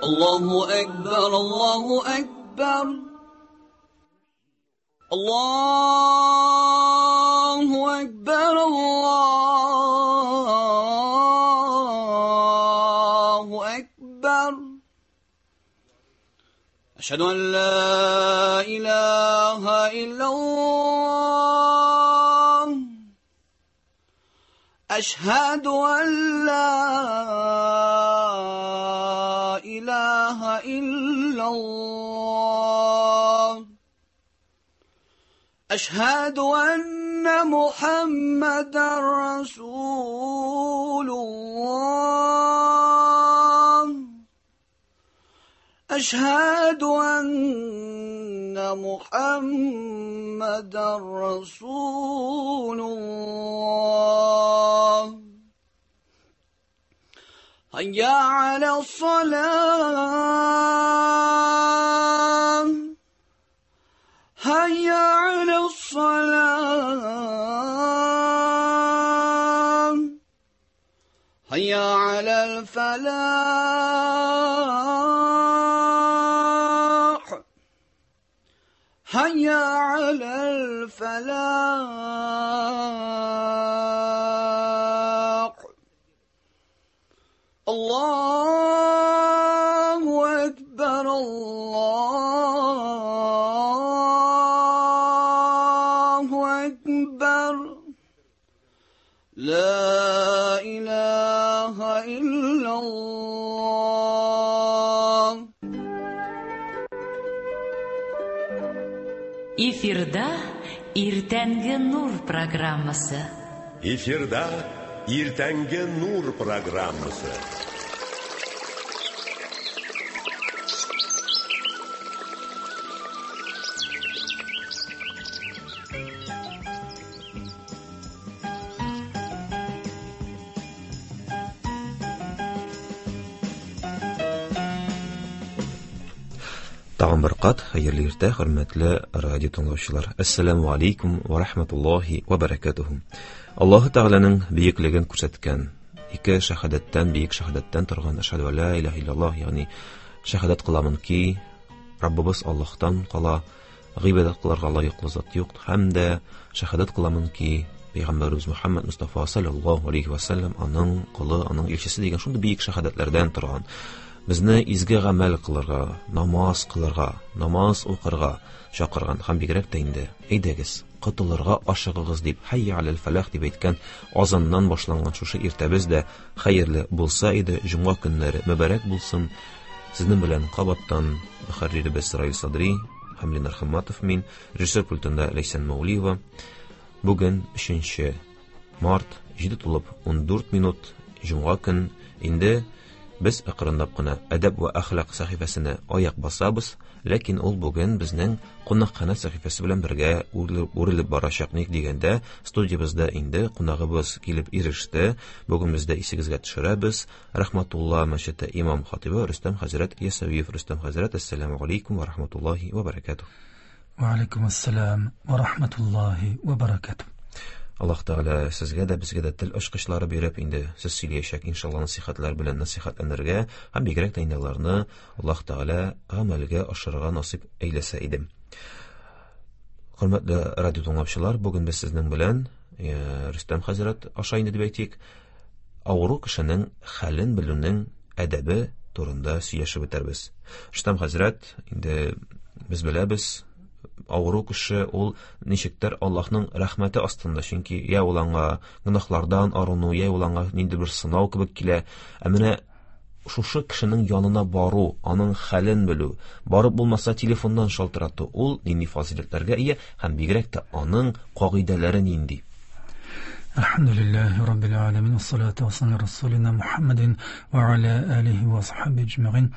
الله أكبر الله أكبر الله أكبر الله أكبر أشهد أن لا إله إلا الله أشهد أن لا إله إلا الله أشهد أن محمدا رسول الله أشهد أن محمدا رسول الله هيا على الصلاة هيا على الصلاة هيا على الفلاح هيا على الفلاح الله أكبر الله أكبر لا إله إلا الله. Эфирда Иртәнге Нур программасы. Эфирда Иртәнге Нур программасы. Тагын бер кат хәерле иртә, хөрмәтле радио тыңлаучылар. Әссәламү алейкум ва рахматуллаһи ва баракатуху. Аллаһы Тәгаләнең бөеклеген күрсәткән ике шәһадәттән, бөек шәһадәттән торган әшһәдү ла илаһа иллаллаһ, ягъни шәһадәт кыламын ки, Раббыбыз Аллаһтан кала гыйбадәт кылырга лаеклы зат юк, һәм дә шәһадәт кыламын ки, Пәйгамбәребез Мухаммад Мустафа саллаллаһу алейхи ва саллям аның колы, аның илчесе дигән шундый бөек шәһадәтләрдән торган. Безне изге гамәл кылырга, намаз кылырга, намаз укырга чакырган һәм бигрәк тә инде әйдәгез, котылырга ашыгыгыз дип хәйя алал фәлах дип әйткән азаннан башланган шушы иртәбез дә хәерле булса иде, җомга көннәре мөбарәк булсын. Сезнең белән кабаттан мөхәрриребез Раил Садри һәм Ленар Хамматов мин, режиссер пультында Ләйсән Мәүлиева. Бүген 3 март, 7:14 минут, җомга көн. Инде без акрынлап кына әдәп ва әхлак сәхифәсенә аяк басабыз, ләкин ул бүген безнең кунакханә сәхифәсе белән бергә үрелеп барачак. Ник дигәндә, студиябездә инде кунагыбыз килеп иреште. Бүген без дә исегезгә төшерәбез. Рахматулла мәчете имам хатибы Рөстәм хәзрәт Ясәвиев. Рөстәм хәзрәт, әссәламү алейкум ва рахматуллаһи ва баракатуһ. Ва алейкум ассалам ва рахматуллаһи ва баракатуһ. Аллаһ Тәгалә сезгә дә, безгә дә тел ачкычлары биреп, инде сез сөйләячәк иншалла насихатлар белән насихатланырга һәм бигрәк тә инде аларны Аллаһ Тәгалә гамәлгә ашырырга насыйп әйләсә иде. Хөрмәтле радио тыңлаучылар, бүген без сезнең белән Рөстәм хәзрәт аша инде дип әйтик, авыру кешенең хәлен белүнең әдәбе турында сөйләшеп үтәрбез. Рөстәм хәзрәт, инде без беләбез, авыру кеше ул ничектер Аллаһның рәхмәте астында, чөнки я ул аңа гөнаһлардан арыну, я ул аңа нинди бер сынау кебек килә. Ә менә шушы кешенең янына бару, аның хәлен белү, барып булмаса телефоннан шалтырату, ул нинди фазыйләтләргә ия һәм бигрәк тә аның кагыйдәләре нинди? Әлхәмдүлилләһи раббил аламин, вассалату вассаламу аля расулина Мухаммадин ва аля алихи ва сахаби аҗмаин.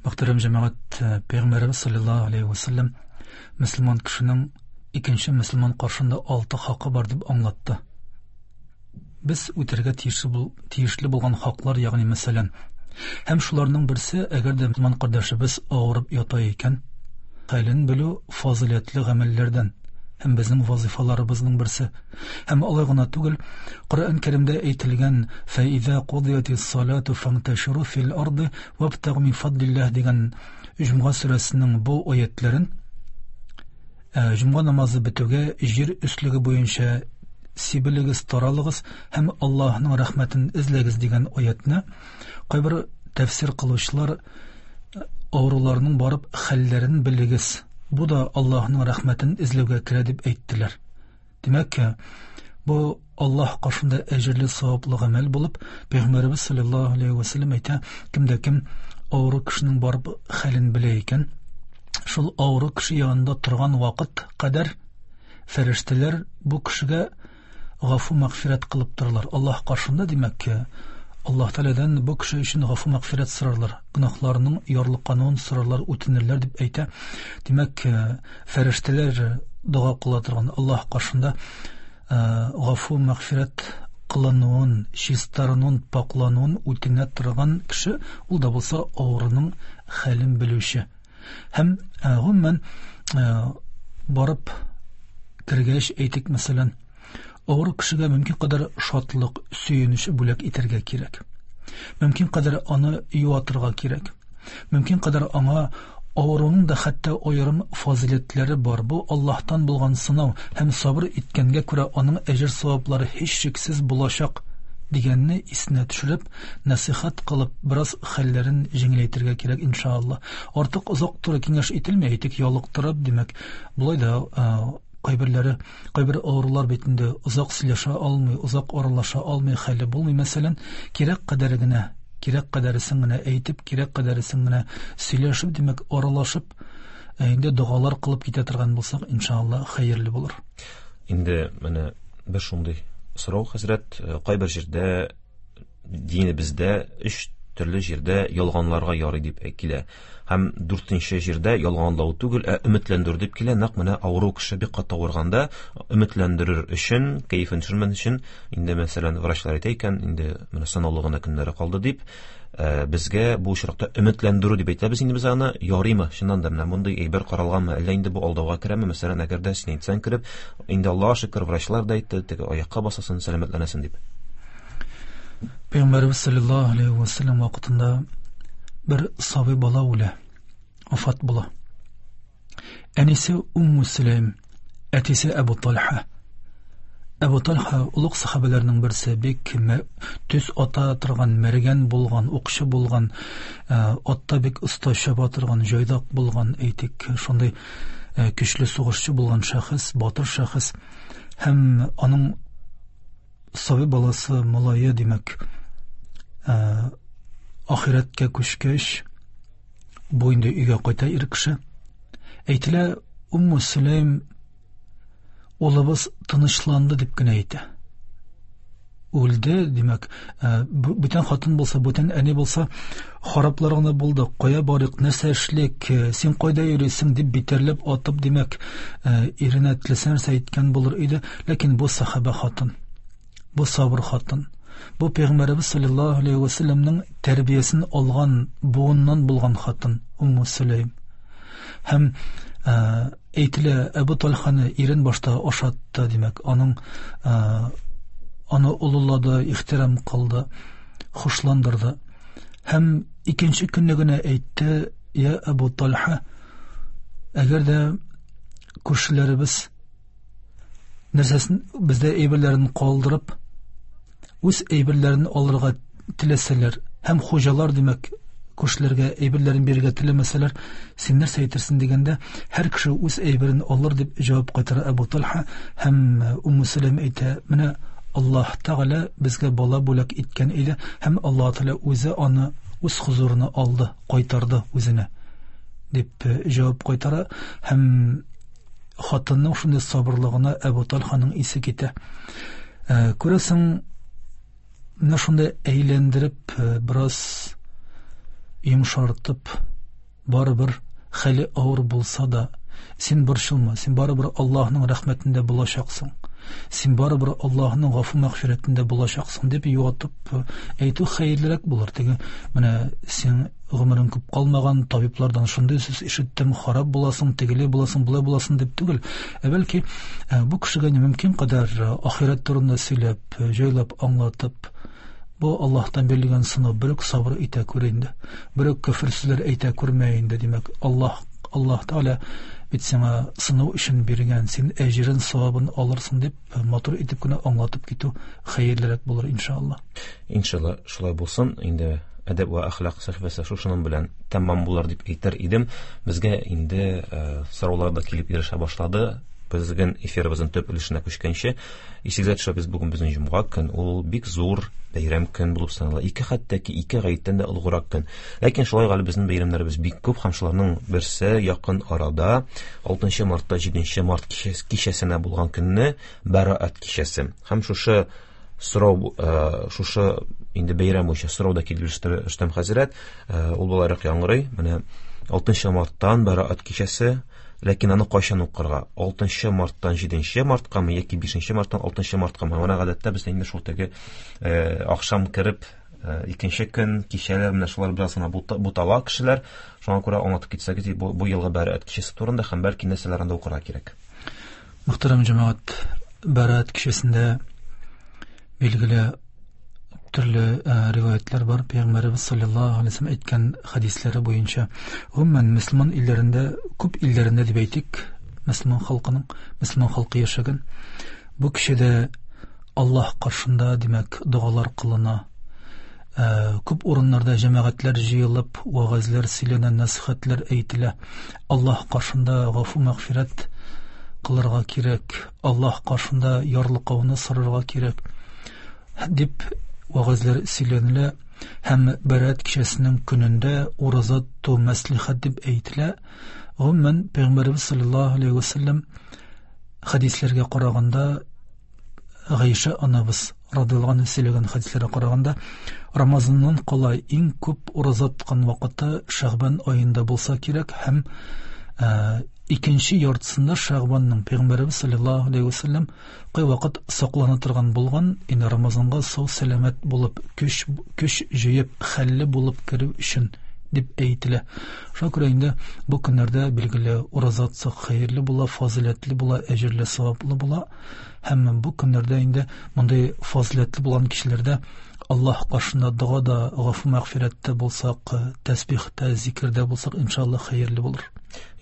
Мөхтәрәм җәмәгать, Пәйгамбәребез саллаллаһу алейхи ва саллям мөселман кешенең икенче мөселман каршында 6 хакы бар дип аңлатты. Без үтәргә тиешле булган хаклар, ягъни мәсәлән, һәм шуларның берсе, әгәр дә мөселман кардәшебез авырып ята икән, хәлен белү фазыйләтле гамәлләрдән. Һәм безнең вазифаларыбызның берсе. Һәм алай гына түгел, Коръән Кәримдә әйтелгән «Фәизә кудиятис салату фанташиру фил арды вабтагу мин фадлиллаһ» дигән Җомга сүрәсенең бу аятларын җомга намазы бетүгә җир өслеге буенча сибелегез, таралыгыз һәм Аллаһның рәхмәтен эзләгез дигән аятны кайбер тәфсир кылучылар авыруларның барып хәлләрен белегез, бу да Аллаһның рәхмәтен эзләүгә керә дип әйттеләр. Димәк, бу Аллаһ каршында әҗерле саваплы гамәл булып, Пәйгамбәребез саллаллаһу алейһи ва сәлләм әйтә, кемдә кем авыру кешенең барып хәлен белә икән, шул авыру кеше янында торган вакыт кадәр фәрештәләр бу кешегә гафу мәгъфирәт кылып торалар. Аллаһ каршында, димәк, Аллаһ Тәгаләдән бу кеше өчен гафу мәгъфирәт сорарлар, гөнаһларының ярлыкануын сорарлар, үтенерләр дип әйтә. Димәк, фәрештәләр дога кыла торган Аллаһ каршында гафу мәгъфирәт кылынуын, чистарынуын, паклануын үтенә торган кеше, ул да булса авыруның хәлен белүче. Һәм гомумән барып кергәч, әйтик, мәсәлән, авыру кешегә мөмкин кадәр шатлык, сөенеч бүләк итәргә кирәк. Мөмкин кадәр аны юатырга кирәк. Мөмкин кадәр аңа авыруның да хәтта аерым фазиләтләре бар. Бу Аллаһтан булган сынау һәм сабыр иткәнгә күрә аның әҗер саваплары һичшиксез булачак дигәнне исенә төшереп, нәсыйхәт кылып, бераз хәлләрен җиңеләйтергә кирәк, иншалла. Артык озак тору киңәш ителми, әйтик, ялыктырып, димәк, болай да кайберләре, кайбер авырулар бит инде озак сөйләшә алмый, озак аралаша алмый, хәле булмый, мәсәлән, кирәк кадәр генә, кирәк кадәресен генә әйтеп, кирәк кадәресен генә сөйләшеп, димәк, аралашып, инде догалар кылып китә торган булсак, иншалла, хәерле булыр. Инде менә бер шундый сорау, хәзрәт, кайбер җирдә динебездә өч төрле җирдә ялганларга ярый дип килә. Һәм дүртенче җирдә ялганлау түгел, ә өметләндерү дип килә. Нәкъ менә авыру кеше бик каты авырганда өметләндерер өчен, кәефен төшермәс өчен, инде мәсәлән, врачлар әйтә икән, инде менә санаулы гына көннәре калды дип, безгә бу очракта өметләндерү дип әйтәбез инде без аны, ярыймы? Чыннан да менә мондый әйбер каралганмы? Әллә инде бу алдауга керәме? Мәсәлән, әгәр дә син әйтсәң кереп, инде Аллаһка шөкер, врачлар да әйтте, теге аякка басасын, сәламәтләнәсең дип. Пәйгамбәребез саллаллаһу алейһи ва сәлләм вакытында бер сабый бала үлә, вафат була. Әнисе Умму Сөләйм, әтисе Әбу Талха. Әбу Талха олуг сахабәләрнең берсе, бик төз ата торган, мәргән булган, укчы булган, атта бик оста чаба торган, җайдак булган, әйтик, шундый көчле сугышчы булган шәхес, батыр шәхес. Һәм аның сабый баласы, малае, димәк, ахирәткә күчкәч, бу инде өйгә кайта ир кеше. Әйтелә, Умму Сөләйм улыбыз тынычланды дип кенә әйтә. Үлде, димәк, бүтән хатын булса, бүтән әни булса, хараплар гына булды, кая барыйк, нәрсә эшлик, син кайда йөрисең дип битәрләп атып, димәк, иренә теләсә нәрсә әйткән булыр иде, ләкин бу сахаба хатын, бу сабыр хатын, бу Пәйгамбәребез саллаллаһу алейһи ва сәлләмнең тәрбиясен алган буыннан булган хатын Умму Сөләйм. Һәм әйтелә, Әбу Талханы ирен башта ашатты, димәк, аның аны олылады, ихтирам кылды, хушландырды. Һәм икенче көнне генә әйтте, я Әбу Талха, әгәр дә күршеләребез нәрсәсен бездә әйберләрен калдырып, үз әйберләрен алырга теләсәләр һәм хуҗалар, димәк, күршеләргә әйберләрен бирергә теләмәсәләр, син нәрсә әйтерсең дигәндә, һәр кеше үз әйберен алыр дип җавап кайтара Әбу Талха. Һәм Умму Сәләм әйтә, менә Аллаһ Тәгалә безгә бала бүләк иткән иде һәм Аллаһ Тәгалә үзе аны үз хозурына алды, кайтарды үзенә дип җавап кайтара. Һәм хатынның шундый сабырлыгына Әбу Талханың исе китә. Күрәсең, менә шундай әйләндереп, бераз йомшартып, барыбер хәле авыр булса да, син борчылма, син барыбер Аллаһның рәхмәтендә булачаксың. Син барыбер Аллаһның гафу мәгъфирәтендә булачаксың дип юатып әйтү хәерлерәк булыр. Теге менә син гомерең күп калмаган, табиблардан шундый сүз ишеттем, харап буласың, тегеле буласың, болай буласың дип түгел. Ә бәлки бу кешегә мөмкин кадәр ахирәт турында сөйләп, җайлап аңлатып, бу Аллаһтан бирелгән сынау, берүк сабыр итә күр инде. Берүк көфер сүзләр әйтә күрмә инде, димәк, Аллаһ Тәгалә бит сиңа сынау өчен биргән, син әҗерен, савабын алырсың дип матур итеп кенә аңлатып китү хәерлерәк булыр иншалла. Иншалла шулай булсын. Инде әдәп вә әхлак сәхифәсе шушының белән тәмам булыр дип әйтер идем. Безгә инде сораулар да килеп ирешә башлады. Безнең эфирыбызның төп өлешенә күчкәнче, исегезгә төшерәбез, бүген безнең җомга көн, ул бик зур бәйрәм көн булып санала. Ике хәтта ки ике гаеттән дә олуграк көн. Ләкин шулай әле безнең бәйрәмнәребез бик күп һәм шуларның берсе якын арада 6 мартта 7 март кичәсенә булган көнне Бәраәт кичәсе. Һәм шушы сорау, шушы инде бәйрәм буенча сорау да килеп иреште Рөстәм хәзрәт, ул болайрак яңгырый. Менә 6 марттан Бәраәт кичәсе, ләкин аны кайчан укырга? 6 марттан 7 марткамы яки 5 марттан 6 марткамы? Менә гадәттә без инде шул теге ахшам кереп икенче көн кичәләр менә шулар бераз гына бутала кешеләр. Шуңа күрә аңлатып китсәгез, бу елгы Бәраәт кичәсе турында һәм бәлки нәрсәләр анда укырга кирәк. Мөхтәрәм җәмәгать, Бәраәт кичәсендә билгеле төрле риваятлар бар. Пәйгамбәребез саллаллаһу алейһи ва сәлләм әйткән хәдисләре буенча, гомумән мөселман илләрендә, күп илләрендә дип әйтик, мөселман халкының, мөселман халкы яшәгән. Бу кичәдә Аллаһ каршында, димәк, догалар кылына. Күп урыннарда җәмәгатьләр җыелып, вәгазьләр сөйләнә, нәсихәтләр әйтелә. Аллаһ каршында гафу мәгъфирәт кылырга кирәк, Аллаһ каршында ярлыкауны сорарга кирәк дип вәгазьләр сөйләнелә һәм Бәраәт кичәсенең көнендә ураза тоту мәслихәт дип әйтелә. Гомумән, Пәйгамбәребез саллаллаһу алейһи ва сәлләм хәдисләргә караганда, Гайшә анабыз радиаллаһу анһа сөйләгән хәдисләргә караганда, Рамазаннан кала иң күп ураза тоткан вакыты Шәгъбан аенда булса кирәк һәм икенче яртысында Шәгъбанның Пәйгамбәребез саллаллаһу алейһи ва сәлләм кайвакыт саклана торган булган, инде Рамазанга сау сәламәт булып, көч җыеп, хәлле булып керү өчен дип әйтелә. Шуңа күрә инде бу көннәрдә билгеле ураза тотсак хәерле була, фазыйләтле була, әҗерле, саваплы була. Һәм бу көннәрдә инде мондый фазыйләтле булган кешеләрдә Аллаһ каршында дога да, гафу мәгъфирәттә булсак, тәсбихтә, зикердә булсак, иншалла хәерле булыр.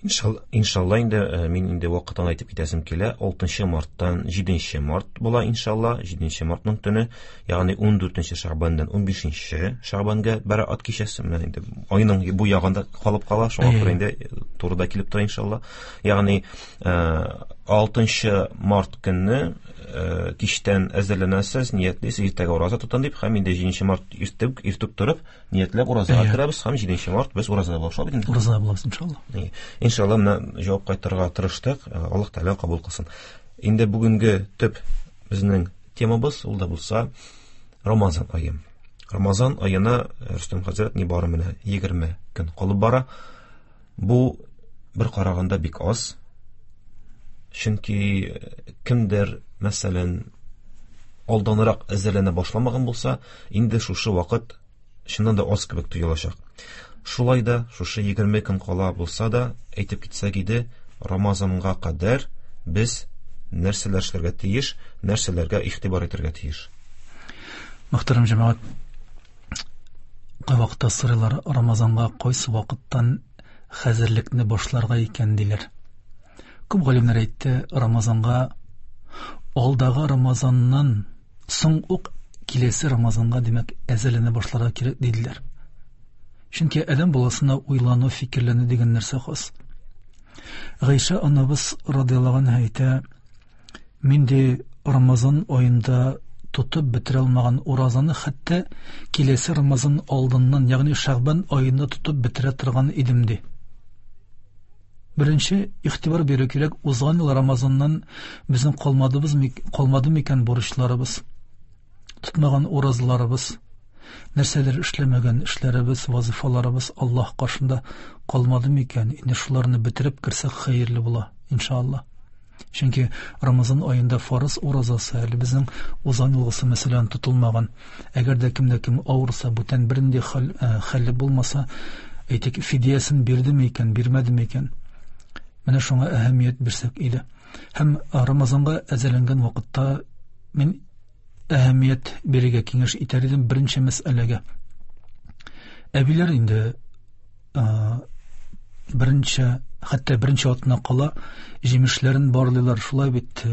Иншалла инде мин инде вакытын әйтеп китәсем килә. 6 марттан 7 март була иншалла, 7 мартның төне, ягъни 14 шәгъбаннан 15 шәгъбанга Бәраәт кичәсе. Менә инде айның бу ягында калып кала, шуңа күрә инде турыда килеп тора иншалла. Ягъни 6 март көнне кичтән әзерләнәсез, ниятлисез, иртәгә ураза тотам дип, һәм инде 7 март иртүк торып, ниятләп уразага керәбез һәм 7 март без уразада булабыз, шулай бит инде? Уразада булабыз, иншалла. Иншалла, менә җавап кайтарырга тырыштык, Аллаһ Тәгалә кабул кылсын. Инде бүгенге төп безнең темабыз ул да булса Рамазан ае. Рамазан аена Рөстәм хәзрәт нибары менә 20 көн калып бара. Бу бер караганда бик аз. Чөнки кемдер, мәсәлән, алданрак әзерләнә башламаган булса, инде шушы вакыт чыннан да аз кебек тоелачак. Шулай да шушы 20 көн кала булса да, әйтеп китсәк иде, Рамазанга кадәр без нәрсәләр эшләргә тиеш, нәрсәләргә игътибар итәргә тиеш. Мөхтәрәм җәмәгать, кайвакытта сорыйлар, Рамазанга кайсы вакыттан хәзерлекне башларга икән диләр. Күп галимнәр әйтте, Рамазанга алдагы Рамазаннан соң ук киләсе Рамазанга, димәк, әзерләнә башларга кирәк диделәр. Чөнки адәм баласына уйлану, фикерләнү дигән нәрсә хас. Гайшә анабыз радиаллаһу анһа әйтә, мин ди Рамазан аенда тотып бетерә алмаган уразаны хәтта киләсе Рамазан алдыннан, ягъни Шәгъбан аенда тотып бетерә торган идем ди. Беренче игътибар бирү кирәк, узган ел Рамазаннан безнең калмады микән бурычларыбыз, тотмаган уразаларыбыз, нәрсәләр эшләмәгән эшләребез, вазифаларыбыз Аллаһ каршында калмады микән? Инде шуларны бетереп керсәк хәерле була, иншалла. Чөнки Рамазан аенда фарыз уразасы әле безнең узган елгысы, мәсәлән, тотылмаган. Әгәр дә кемдә кем авырса, бүтән бернинди хәле булмаса, әйтик, фидиясен бирдеме икән, бирмәдеме икән? Менә шуңа әһәмият бирсәк иде. Һәм Рамазанга әзерләнгән вакытта мин әһәмият бирергә киңәш итәр идем беренче мәсьәләгә. Әбиләр инде беренче, хәтта беренче атна кала җимешләрен барлыйлар. Шулай бит,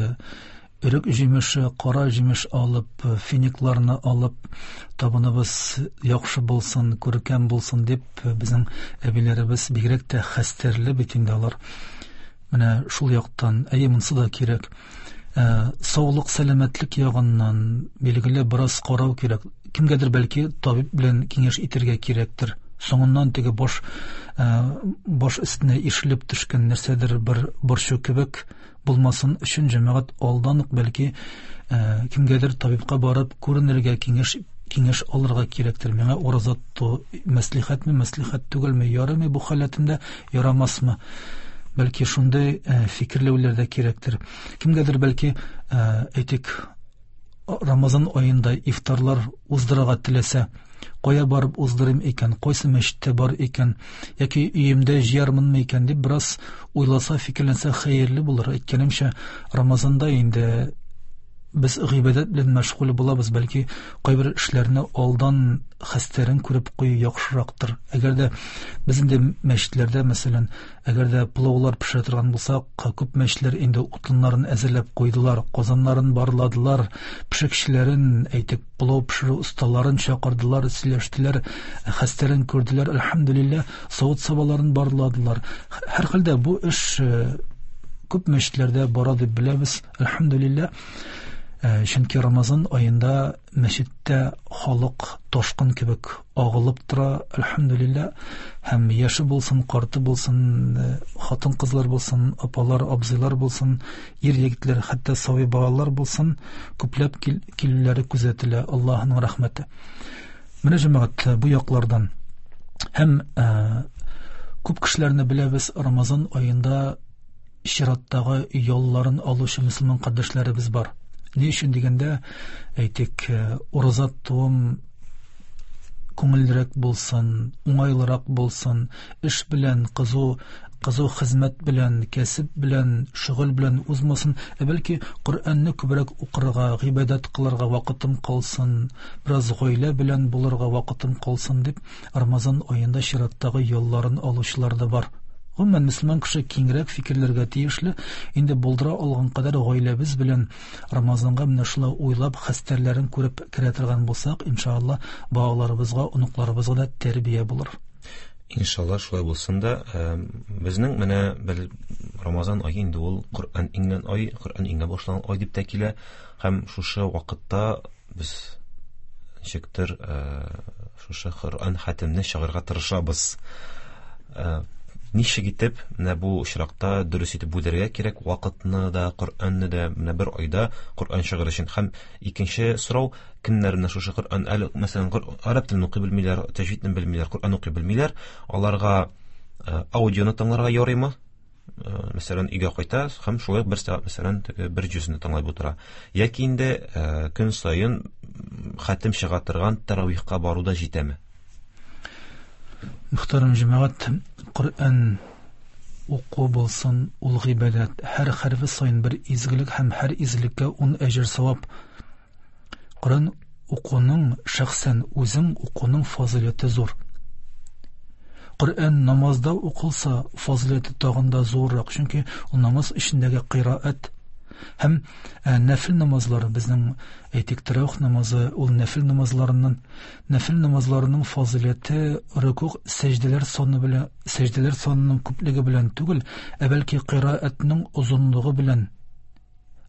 өрек җимеше, кара җимеш алып, финикларны алып, табыныбыз яхшы булсын, күркәм булсын дип, безнең әбиләребез бигрәк тә хәстәрле бит инде алар. Менә шул яктан, әйе, монысы да кирәк. Саулык, сәламәтлек ягыннан билгеле бераз карау кирәк. Кемгәдер бәлки табиб белән киңәш итәргә кирәктер. Соңыннан теге баш өстенә ишелеп төшкән нәрсәдер бер борчу кебек булмасын өчен җәмәгать алдан ук бәлки кемгәдер табибка барып күренергә, киңәш алырга кирәктер. Миңа ураза тоту мәслихәтме, мәслихәт түгелме, ярыймы бу халәтемдә, ярамасмы? Бәлки шундый фикерләүләр дә кирәктер. Кемгәдер бәлки, әйтик, Рамазан аенда ифтарлар уздырырга теләсә, кая барып уздырыйм икән, кайсы мәчеттә бар икән, яки өемдә җыярмынмы икән дип бераз уйласа, фикерләнсә хәерле булыр. Әйткәнемчә, Рамазанда инде без гыйбадәт белән мәшгуль булабыз, бәлки кайбер эшләрне алдан хәстәрен күреп кую яхшырактыр. Әгәр дә без инде мәчетләрдә, мәсәлән, әгәр дә пылаулар пешерә торган булсак, күп мәчетләр инде утыннарын әзерләп куйдылар, казаннарын барладылар, пешекчеләрен, әйтик, пылау пешерү осталарын чакырдылар, сөйләштеләр, хәстәрен күрделәр, әлхәмдүлилләһ, савыт-сабаларын барладылар. Һәр хәлдә бу эш күп мәчетләрдә бара дип беләбез, әлхәмдүлилләһ. Чөнки Рамазан аенда мәчеттә халык ташкын кебек агылып тора, әлхәмдүлилләһ. Һәм яше булсын, карты булсын, хатын-кызлар булсын, апалар, абзыйлар булсын, ир-егетләр, хәтта сабый балалар булсын, күпләп килүләре күзәтелә, Аллаһының рәхмәте. Менә җәмәгать, бу яклардан. Һәм күп кешеләрне беләбез, Рамазан аенда чираттагы ялларын алучы мөселман кардәшләребез бар. Ни өчен дигәндә, әйтик, ураза тотуым күңеллерәк булсын, уңайлырак булсын, эш белән, кызу хезмәт белән, кәсеп белән, шөгыль белән узмасын, ә бәлки Коръәнне күбрәк укырга, гыйбадәт кылырга вакытым калсын, бераз гаилә белән булырга вакытым калсын дип Рамазан аенда чираттагы ялларын алучылар да бар. Гомумән, мөселман кеше киңрәк фикерләргә тиешле, инде булдыра алган кадәр гаиләбез белән Рамазанга менә шулай уйлап, хәстәрләрен күреп керә торган булсак, иншалла, балаларыбызга, оныкларыбызга да тәрбия булыр. Иншалла, шулай булсын да. Безнең менә бер Рамазан ае инде ул Коръән иңгән ай, Коръән иңә башлаган ай дип тә килә. Һәм шушы вакытта без ничектер шушы Коръән хәтемне чыгарырга тырышабыз. Ничек итеп менә бу очракта дөрес итеп бүләргә кирәк вакытны да, Коръәнне дә, менә бер айда Коръән чыгарыр өчен. Һәм икенче сорау, кемнәр менә шушы Коръән әле, мәсәлән, гарәп телен укый белмиләр, тәҗвидне белмиләр, Коръән укый белмиләр, аларга аудионы тыңларга ярыймы? Мәсәлән, өйгә кайта һәм шулай ук бер сәгать, мәсәлән, теге бер җүзне тыңлап утыра. Яки инде көн саен хәтем чыга торган таравихка бару да җитәме? Мөхтәрәм җәмәгать, Коръән уку булсын, ул гыйбадәт. Һәр хәрефе саен бер изгелек һәм һәр изгелеккә 10 әҗер савап. Коръән укуның шәхсән үзең укуның фазыйләте зур. Коръән намазда укылса, фазыйләте тагын да зуррак, чөнки ул намаз эчендәге кыйраат һәм нәфил намазлары, безнең әйтик, тәравих намазы, ул нәфил намазларыннан, нәфил намазларының фазыйләте рөкүгъ сәҗдәләр саны белән, сәҗдәләр санының күплеге белән түгел, ә бәлки кыйраатның озынлыгы белән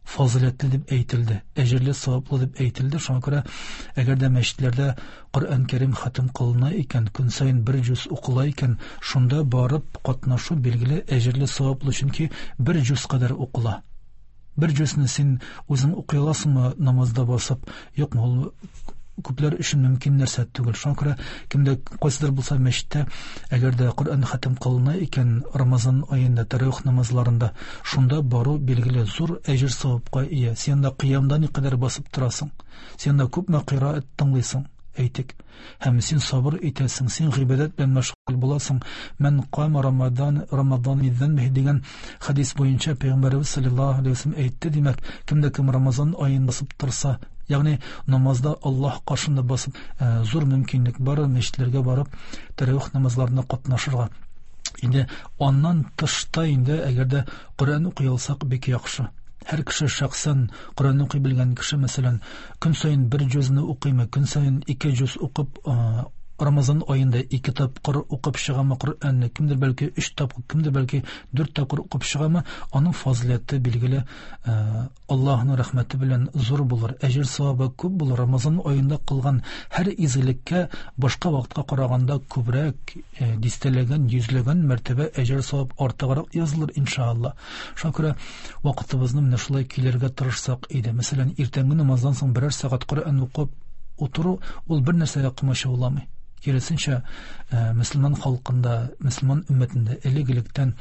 фазыйләтле дип әйтелде, әҗерле, саваплы дип әйтелде. Шуңа күрә, әгәр дә мәчетләрдә Коръән Кәрим хатым кылына икән, көн саен бер җүз укыла икән, шунда барып катнашу билгеле әҗерле, саваплы, чөнки бер җүз кадәр укыла. Бер җүзне син үзең укый аласыңмы намазда басып? Юкмы, ул Күпләр өчен мөмкин нәрсә түгел. Шуңа күрә кемдә кайсыдыр булса мәчеттә, әгәр дә Коръән хатым кылына икән Рамазан аенда тәравих намазларында, шунда бару билгеле зур әҗер савапка ия. Син анда кыямда никадәр басып торасың, син анда күпме кыйраат тыңлыйсың, әйтик. Һәм син сабыр итәсең, син гыйбадәт белән мәшгуль буласың. Мән кама Рамадан Рамадан бидзанбихи дигән хадис буенча Пәйгамбәребез саллаллаһу алейһи ва сәлләм әйтте, димәк, кемдә кем Рамазан аен басып торса, ягъни намазда Аллаһ каршында басып, зур мөмкинлек бар мәчетләргә барып тәравих намазларына катнашырга. Инде аннан тышта инде әгәр дә Коръән укый алсак, бик яхшы. Һәр кеше шәхсән Коръән укый белгән кеше, мәсәлән, көн саен бер җүзне укыймы, көн саен ике җүз укып, Рамазан аенда ике тапкыр укып чыгамы Коръәнне, кемдер бәлки өч тапкыр, кемдер бәлки дүрт тапкыр укып чыгамы, аның фазиләте билгеле Аллаһның рәхмәте белән зур булыр, әҗер савабы күп булыр. Рамазан аенда кылган һәр изгелеккә башка вакытка караганда күбрәк, дистәләгән, йөзләгән мәртәбә әҗер савап артыграк язылыр иншалла. Шуңа күрә вакытыбызны менә шулай килергә тырышсак иде. Мәсәлән, иртәнге намаздан соң берәр сәгать Коръән укып утыру ул бер нәрсәгә комачауламый. Киресенчә, мөселман халкында, мөселман өммәтендә элек-электән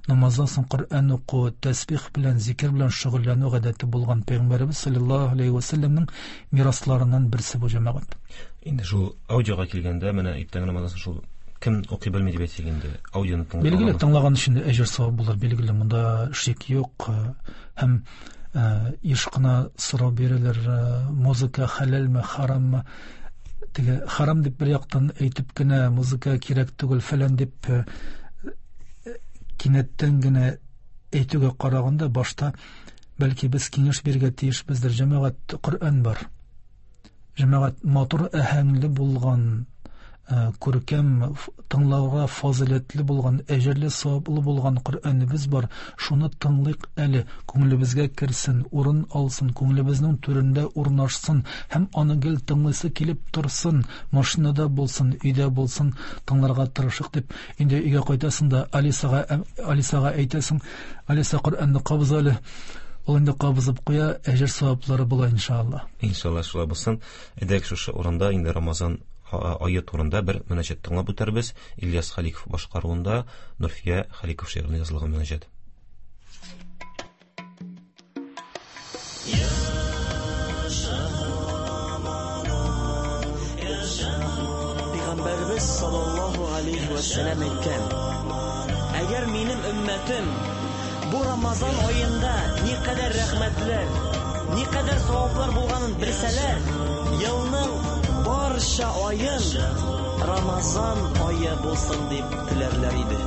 намаздан соң Коръән уку, тәсбих белән, зикер белән шөгыльләнү гадәте булган. Пәйгамбәребез саллаллаһу алейһи ва сәлләмнең мирасларыннан берсе бу, җәмәгать. Инде шул аудиога килгәндә, менә иртәнге намаздан соң шул кем укый белми дип әйтик инде, аудионы тыңлый. Билгеле, тыңлаган өчен дә әҗер савап булыр, билгеле, монда шик юк. Һәм еш кына сорау бирәләр, музыка хәләлме, хараммы? Теге харам дип бер яктан әйтеп кенә, музыка кирәк түгел фәлән дип кинәттән генә әйтүгә караганда, башта бәлки без киңәш бирергә тиешбездер. Җәмәгать, Коръән бар. Җәмәгать, матур әһәңле булган, күркәм, тыңлауга фазыйләтле булган, әҗерле саваплы булган Коръәнебез бар. Шуны тыңлыйк әле, күңелебезгә керсен, урын алсын, күңелебезнең түрендә урнашсын һәм аны гел тыңлыйсы килеп торсын, машинада булсын, өйдә булсын, тыңларга тырышыйк дип. Инде өйгә кайтасың да Алисага, Алисага әйтәсең, Алиса, Коръәнне кабыз әле. Ул инде кабызып куя, әҗер саваплары була иншалла. Иншалла шулай булсын. Әйдәгез шушы урында инде Рамазан ае турында бер мөнәҗәт тыңлап үтәрбез. Ильяс Халиков башкаруында Нурфия Халиков шигыренә язылган мөнәҗәт. Пәйгамбәребез саллаллаһу алейһи вә сәлләм әйткән: Әгәр минем өммәтем бу Рамазан аенда никадәр рәхмәтләр, никадәр саваплар булганын белсәләр, елның барча аен Рамазан ае булсын дип теләрләр иде.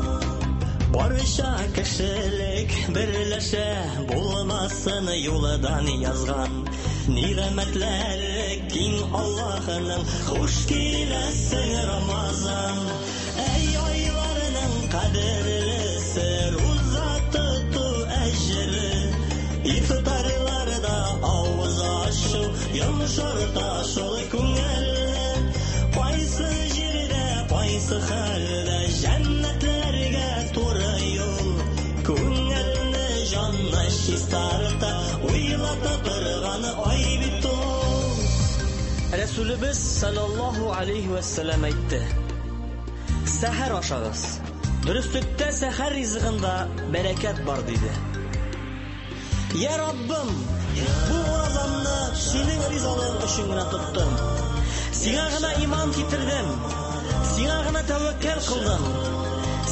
Барча кешелек берләшә, булмасын юлдан язган. Нигъмәтләр киң Аллаһының, хуш киләсең Рамазан. Әй айларның кадерлесе, руза тоту әҗере. Ифтарларда авыз ачу, йомшарта шул күңелне. Кайсы җирдә, кайсы хәлдә җәннәтләргә туры юл. Күңелне, җанны чистарта, уйлата торган ай бит ул. Рәсүлебез саллаллаһу алейһи вә сәлләм әйтте: Сәхәр ашагыз. Дөреслектә сәхәр ризыгында бәрәкәт бар, диде. Я Раббым, бу уразамны синең ризалыгың өчен генә тоттым. Сиңа гына иман китердем. Сиңа гына тәвәккәл кылдым.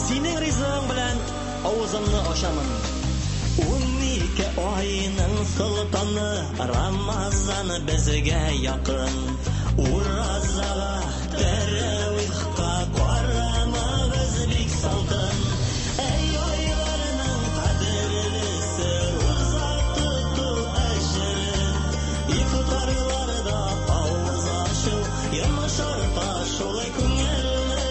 Синең ризыгың белән авызымны ачамын. 12 айның солтаны Рамазан безгә якын. Уразага, тәравихка карамагыз бик салкын. Әй айларның кадерлесе, руза тоту әҗере. Ифтарларда авыз ачу, йомшарта шул күңелне.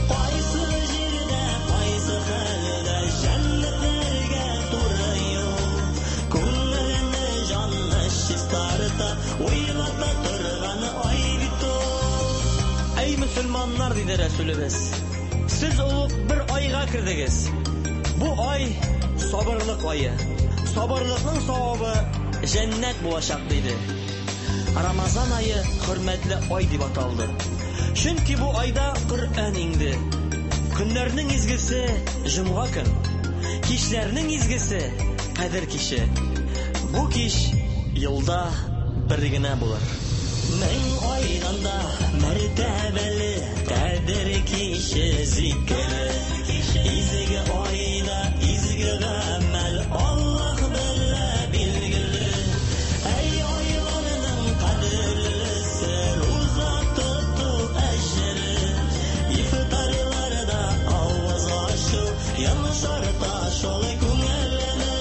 Кайсы җирдә, кайсы хәлдә җәннәтләргә туры юл. Күңелне, җанны чистарта, уйлата торган ай бит ул. Әй мөселманнар, диде Рәсүлебез, сез олуг бер айга кердегез. Бу ай сабырлык ае. Сабырлыкның савабы җәннәт булачак, диде. Рамазан ае хөрмәтле ай дип аталды. Чөнки бу айда Коръән иңде. Көннәрнең изгесе җомга көн. Кичләрнең изгесе Кадер киче. Бу кич елда бер генә булыр. Мең айдан да мәртәбәле Кадер киче зикере. Изге айда изге гамәл Аллаһ белә билгеле. Әй айларның кадерлесе руза тоту әҗере. Ифтарларда авыз ачу йомшарта шул күңелне.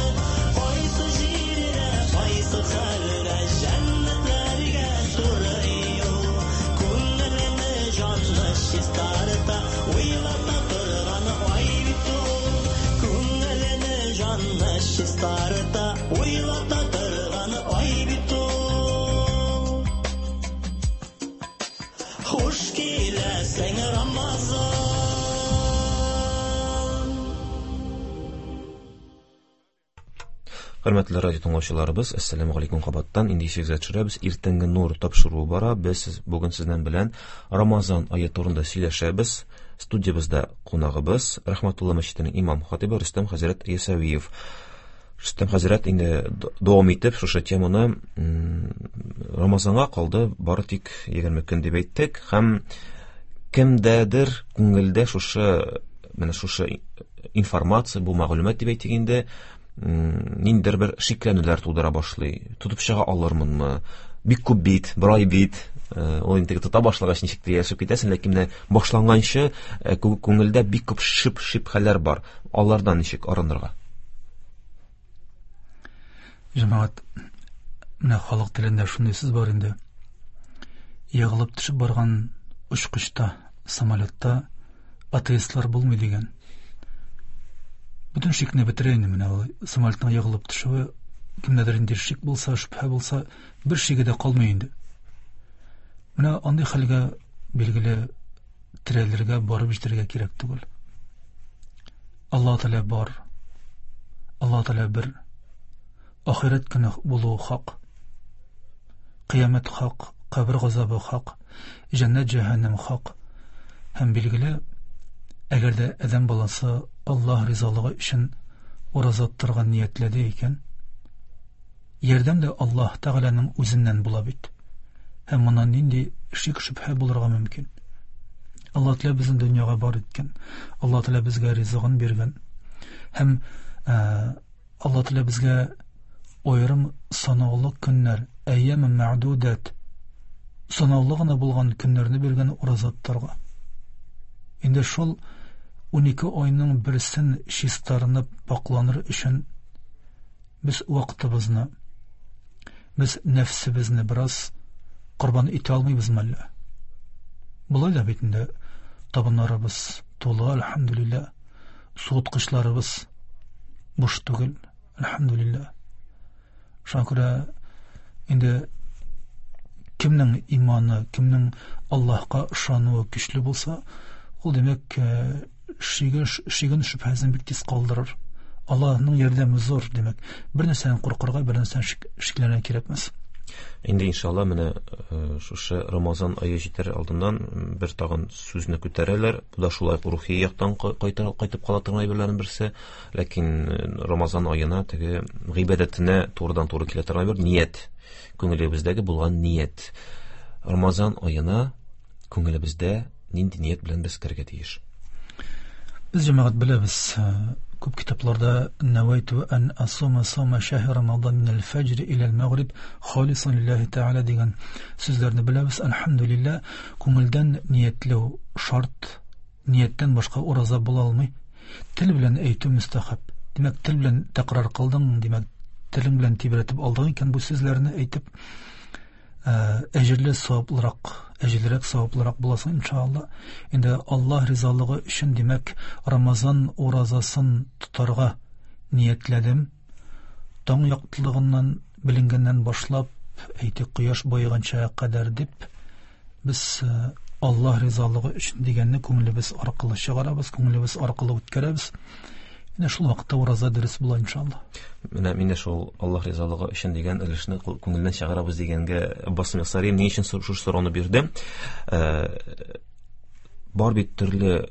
Кайсы җирдә, кайсы хәлдә җәннәтләргә туры юл. Күңелне, җанны чистарта, уйлата торган ай бит ул. Күңелне, җанны чистарта, уйлата торган ай бит ул. Хуш киләсең, Рамазан! Хөрмәтле радио тыңлаучыларыбыз, әссәламү галәйкүм кабаттан. Инде исегезгә төшерәбез, иртәнге нур тапшыруы бара. Без бүген сезнең белән Рамазан ае турында сөйләшәбез. Студиябездә кунагыбыз Рәхмәтулла мәчетенең имам хатибы Рөстәм хәзрәт Ясәвиев. Рөстәм хәзрәт, инде дәвам итеп шушы теманы, Рамазанга калды бары тик 20 көн дип әйттек һәм кемдәдер күңелдә шушы менә шушы информация, бу мәгълүмат дип әйтик инде, ниндидер бер шикләнүләр тудыра башлый. Тотып чыга алырмынмы? Бик күп бит, бер ай бит. Ул инде тота башлагач ничек тә яшәп китәсең, ләкин менә башланганчы күңелдә бик күп шип-шибһәләр бар. Алардан ничек арынырга? Җәмәгать, менә халык телендә шундый сүз бар инде. Егылып төшеп барган очкычта, самолетта атеистлар булмый дигән. Бөтен шикне бетерә инде менә ул самолетның егылып төшүе, кемдәдер инде шик булса, шөбһә булса, бер шиге дә калмый инде. Менә андый хәлгә билгеле терәлергә, барып җитәргә кирәк түгел. Аллаһ Тәгалә бар. Аллаһ Тәгалә бер. Ахирәт көне булуы хак. Кыямәт хак, кабер газабы хак, җәннәт җәһәннәм хак. Һәм билгеле, әгәр дә адәм баласы Аллаһ ризалыгы өчен ураза тотарга ниятләде икән, ярдәм дә Аллаһ Тәгаләнең үзеннән була бит. Һәм моннан нинди шик шөбһә булырга мөмкин? Аллаһ Тәгалә безне дөньяга бар иткән. Аллаһ Тәгалә безгә ризыгын биргән. Һәм Аллаһ Тәгалә безгә аерым санаулы көннәр, әйям мәгъдудат, санаулы гына булган көннәрне биргән ураза тотарга. Инде шул 12 айның берсен чистарынып пакланыр өчен без вакытыбызны, без нәфсебезне бераз корбан итә алмыйбызмы әллә? Болай да бит инде табыннарыбыз тулы, әлхәмдүлилләһ, суыткычларыбыз буш түгел, әлхәмдүлилләһ. Шуңа күрә инде кемнең иманы, кемнең Аллаһка ышануы көчле булса, ул димәк, шиген шөбһәсен бик тиз калдырыр. Аллаһның ярдәме зур, димәк, бер нәрсәдән куркырга, бер нәрсәдән шикләнергә кирәкмәс. Инде иншалла менә шушы Рамазан ае җитәр алдыннан бер тагын сүзне күтәрәләр. Бу да шулай рухи яктан кайтып кала торган әйберләрнең берсе. Ләкин Рамазан аена теге гыйбадәтенә турыдан-туры килә торган бер ният, күңелебездәге булган ният. Рамазан аена күңелебездә нинди ният белән без керергә тиеш? Без җәмәгать беләбез, күп китапларда нәвәйту ан асума саума шәһри Рамазан минәл фәҗр иләл мәгриб халисан лиллаһи тәгалә дигән сүзләрне беләбез. Әлхәмдүлилләһ, күңелдән ниятләү шарт, нияттән башка ураза була алмый. Тел белән әйтү мөстәхәб. Димәк, тел белән тәкрар кылдың, димәк, телең белән тибрәтеп алдың икән бу сүзләрне әйтеп, әҗерле саваплырак, әҗерлерәк саваплырак буласың иншалла. Инде Аллаһ ризалыгы өчен, димәк, Рамазан уразасын тотарга ниятләдем. Таң яктылыгыннан беленгәннән башлап, әйтик, кояш баеганча кадәр дип, без Аллаһ ризалыгы өчен дигәнне күңелебез аркылы чыгарабыз, күңелебез аркылы үткәрәбез. Менә шул вакытта ураза дөрес була иншалла. Менә мин дә шул Аллаһ ризалыгы өчен дигән өлешне күңелдән чыгарабыз дигәнгә басым ясарым. Ни өчен шушы сорауны бирдем? Бар бит төрле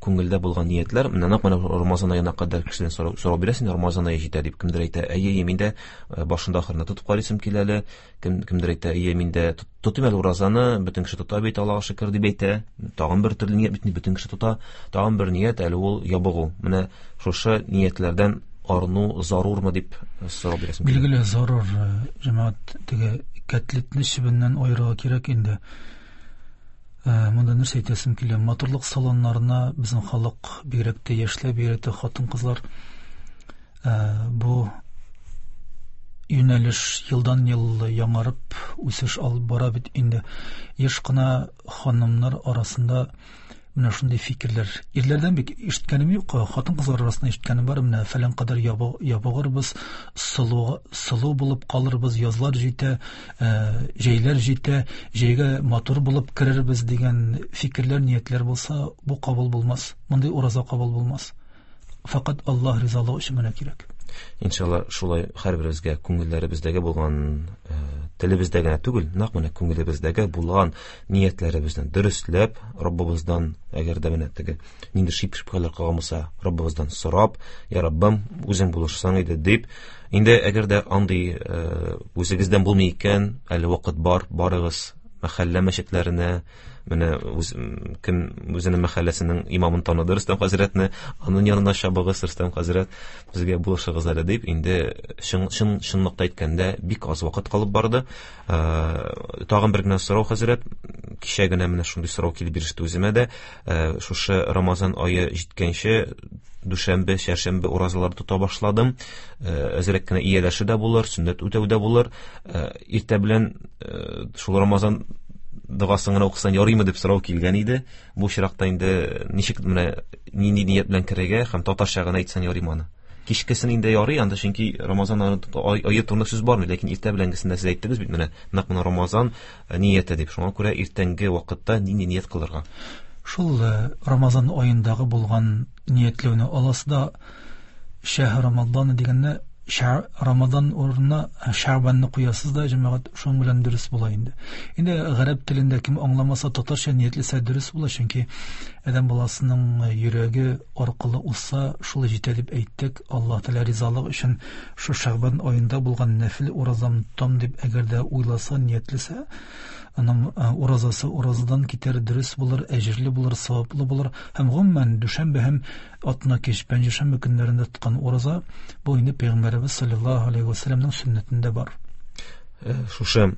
күңелдә булган ниятләр. Менә нәкъ менә Рамазан аена кадәр кешедән сорау бирәсең, Рамазан ае җитә дип кемдер әйтә, әйе, әйе, мин дә башында ахырында тотып карыйсым килә әле. Кемдер әйтә, әйе, мин дә тотыйм әле уразаны, бөтен кеше тота бит, Аллаһка шөкер дип әйтә. Тагын бер төрле ният бит, бөтен кеше тота. Тагын бер ният әле ул ябыгу. Менә шушы ниятләрдән арыну зарурмы дип сорау бирәсем килә. Билгеле, зарур, җәмәгать, теге кәтлитне чебеннән аерырга кирәк инде. Монда нәрсә әйтәсем килә? Матурлык салоннарына безнең халык, бигрәк тә яшьләр, бигрәк тә хатын-кызлар, бу юнәлеш елдан-ел яңарып үсеш алып бара бит инде. Еш кына ханымнар арасында менә шундый фикерләр. Ирләрдән бик ишеткәнем юк, хатын-кызлар арасында ишеткәнем бар. Менә фәлән кадәр ябыгырбыз, сылу булып калырбыз, язлар җитә, җәйләр җитә, җәйгә матур булып керербез дигән фикерләр, ниятләр булса, бу кабул булмас. Мондый ураза кабул булмас. Фақат Аллаһ ризалыгы өчен генә кирәк. Иншалла, шулай һәрберебезгә күңелләребездәге булган, телебездә генә түгел, нәкъ менә күңелебездәге булган ниятләребезне дөресләп, Раббыбыздан, әгәр дә менә теге нинди шик-шөбһәләр калган булса, Раббыбыздан сорап, Я Раббым, үзең булышсаң иде дип, инде әгәр дә андый үзегездән булмый икән, әле вакыт бар, барыгыз мәхәллә мәчетләренә, менә кем үзенең мәхәлләсенең имамын таныды, Рөстәм хәзрәтне, аның янына чабыгыз, Рөстәм хәзрәт, безгә булышыгыз әле дип, инде чынлыкта әйткәндә бик аз вакыт калып барды. Тагын бер генә сорау, хәзрәт, кичә генә менә шундый сорау килеп иреште үземә дә. Шушы Рамазан ае җиткәнче дүшәмбе, чәршәмбе уразалар тота башладым. Әзрәк кенә ияләшү дә булыр, сөннәт үтәү дә булыр. Иртә белән шул Рамазан догасын гына укысаң ярыймы дип сорау килгән иде. Бу очракта инде ничек менә нинди ният белән керергә һәм татарча гына әйтсәң ярыймы аны? Кичкесен инде ярый, анда чөнки Рамазан ае турында сүз бармый, ләкин иртә беләнгесендә сез әйттегез бит менә нәкъ менә Рамазан нияте дип. Шуңа күрә иртәнге вакытта нинди ният кылырга? Шул Рамазан аендагы булган ниятләүне аласы да шәһр Рамазан дигәнне Рамазан урынына Шәгъбанны куясыз да, җәмәгать, шуның белән дөрес була инде. Инде гарәп телендә кем аңламаса, татарча ниятләсә дөрес була, чөнки адәм баласының йөрәге аркылы узса, шул җитә дип әйттек. Аллаһ Тәгалә ризалыгы өчен шу Шәгъбан аенда булган нәфил уразам тотам дип әгәр дә уйласа, ниятләсә, аның уразасы уразадан китәр, дөрес булыр, әҗерле булыр, саваплы булыр. Һәм гомумән дүшәмбе һәм атна кич, пәнҗешәмбе көннәрендә тоткан ураза бу инде Пәйгамбәребез саллаллаһу алейһи ва сәлләмнең сөннәтендә бар. Шушы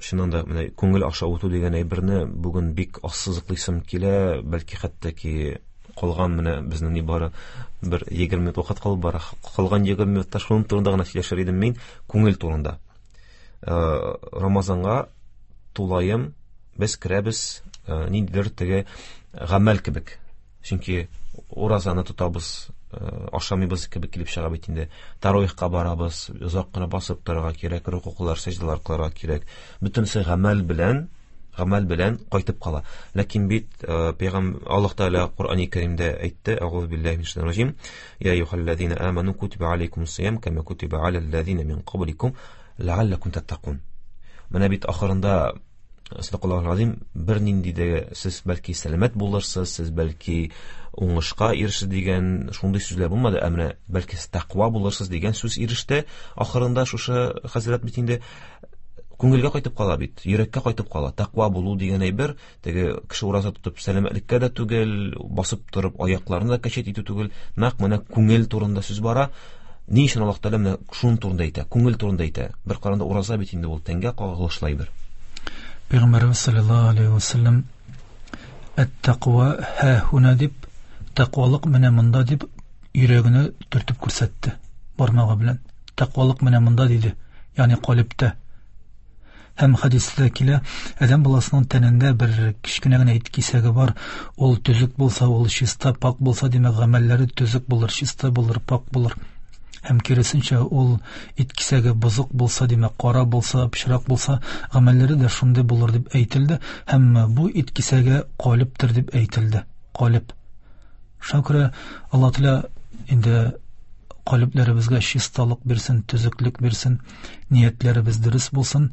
чыннан да менә күңел аша үтү дигән әйберне бүген бик ассызыклыйсым килә, бәлки хәтта ки калган менә безнең нибары бер 20 минут вакыт калып бара. Калган 20 минутта шуның турында гына сөйләшер идем мин, күңел турында. Рамазанга тулаем без керәбез, ниндидер теге гамәл кебек. Чөнки уразаны тотабыз, ашамыйбыз кебек килеп чыга бит инде. Таравихка барабыз, озак кына басып торырга кирәк, рукуклар, сәҗдәләр кылырга кирәк. Бөтенесе гамәл белән кайтып кала. Ләкин бит Пәйгамбәр Аллаһ Тәгалә Коръәни Кәримдә әйтте, Әгъузу биллаһи минәш шайтанир раҗим, Я әйюһәлләзина аману кутиба алейкумус сиям кама кутиба аләлләзина мин кабликум ләалләкум таттакун. Менә бит ахырында Садакаллаһу азим, бер нинди дә сез бәлки сәламәт булырсыз, сез бәлки уңышка ирешерсез дигән шундый сүзләр булмады, ә менә бәлки сез тәкъва булырсыз дигән сүз иреште. Ахырында шушы хәзрәт бит инде күңелгә кайтып кала бит, йөрәккә кайтып кала. Тәкъва булу дигән әйбер, теге кеше ураза тотып сәламәтлеккә дә түгел, басып торып аякларны да кәчәт итү түгел, нәкъ менә күңел турында сүз бара. Ни өчен Аллаһ Тәгалә менә шуның турында әйтә, күңел турында әйтә? Бер караганда ураза бит инде ул тәнгә кагылышлы әйбер. Пәйгамбәребез саллаллаһу алейһи ва сәлләм әт-тәкъва һә һуна дип, тәкъвалык менә монда дип йөрәгенә төртеп күрсәтте бармагы белән. Тәкъвалык менә монда диде, ягъни калибтә. Һәм хәдистә килә, адәм баласының тәнендә бер кечкенә генә ит кисәге бар, ул төзек булса, ул чиста, пак булса, димәк, гамәлләре төзек булыр, чиста булыр, пак булыр. Һәм киресенчә, ул ит кисәге бозык булса, димәк, кара булса, пычрак булса, гамәлләре дә шундый булыр дип әйтелде. Һәм бу ит кисәге калибтер дип әйтелде. Калиб. Шуңа күрә Аллаһ Тәгалә Инде калебләребезгә чисталык бирсен, төзеклек бирсен, ниятләребез дөрес булсын.